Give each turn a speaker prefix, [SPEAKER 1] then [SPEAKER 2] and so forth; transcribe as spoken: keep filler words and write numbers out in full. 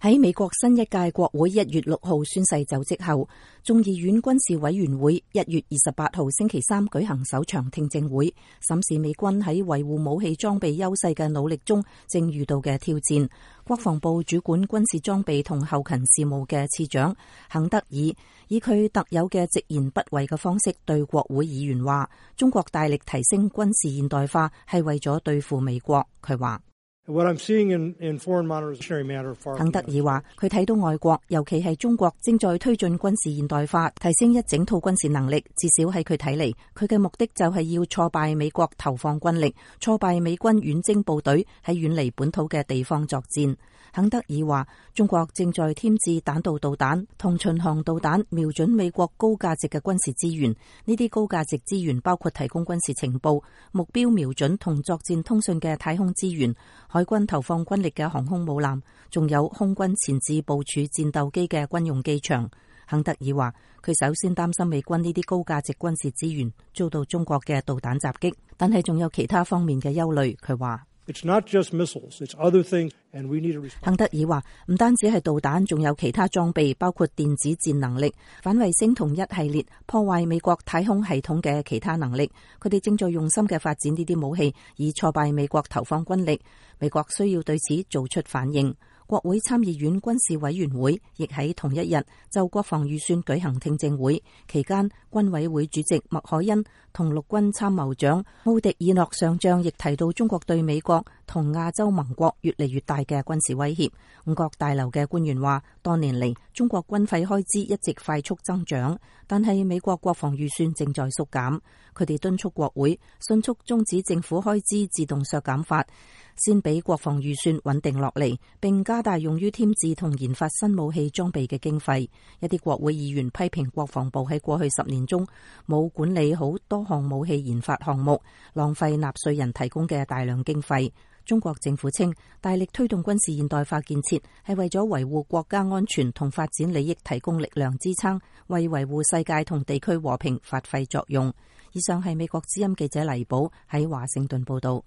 [SPEAKER 1] 喺美國新一屆國會一月六號宣誓就職後，眾議院軍事委員會一月二十八號星期三舉行首場聽證會，審視美軍喺維護武器裝備優勢嘅努力中正遇到嘅挑戰。國防部主管軍事裝備同後勤事務嘅次長肯德爾以佢特有嘅直言不諱嘅方式對國會議員話：中國大力提升軍事現代化係為咗對付美國。佢話。肯德爾話：佢睇到外國，尤其係中國，正在推進軍事現代化，提升一整套軍事能力。至少喺佢睇嚟，佢嘅目的就係要挫敗美國投放軍力，挫敗美軍遠征部隊喺遠離本土嘅地方作戰。肯德爾話：中國正在添置彈道導彈同巡航導彈，瞄準美國高價值嘅軍事資源。呢啲高價值資源包括提供軍事情報、目標瞄準同作戰通訊嘅太空資源、海軍投放軍力嘅航空母艦，仲有空軍前置部署戰鬥機嘅軍用機場。肯德爾話：佢首先擔心美軍呢啲高價值軍事資源遭到中國嘅導彈襲擊，但係仲有其他方面嘅憂慮。佢話。
[SPEAKER 2] It's not just missiles, it's other things, and we need to respond.
[SPEAKER 1] 肯德爾話：唔單止係導彈，仲有其他裝備，包括電子戰能力、反衛星同一系列破壞美國太空系統嘅其他能力。佢哋正在用心嘅發展呢啲武器，以挫敗美國投放軍力。美國需要對此做出反應。國會參議院軍事委員會亦喺同一日就國防預算舉行聽證會，期間軍委會主席麥凱恩同陸軍參謀長奧迪爾諾上將亦提到中國對美國同亞洲盟國越嚟越大嘅軍事威脅。五角大樓嘅官員話，多年嚟中國軍費開支一直快速增長，但係美國國防預算正在縮減。佢哋敦促國會迅速終止政府開支自動削減法，先俾國防預算穩定落嚟，並加大用於添置同研發新武器裝備嘅經費。一啲國會議員批評國防部喺過去十年中冇管理好多項武器研發項目，浪費納稅人提供嘅大量經費。中國政府稱，大力推動軍事現代化建設係為咗維護國家安全同發展利益提供力量支撐，為維護世界同地區和平發揮作用。以上係美國之音記者黎寶喺華盛頓報道。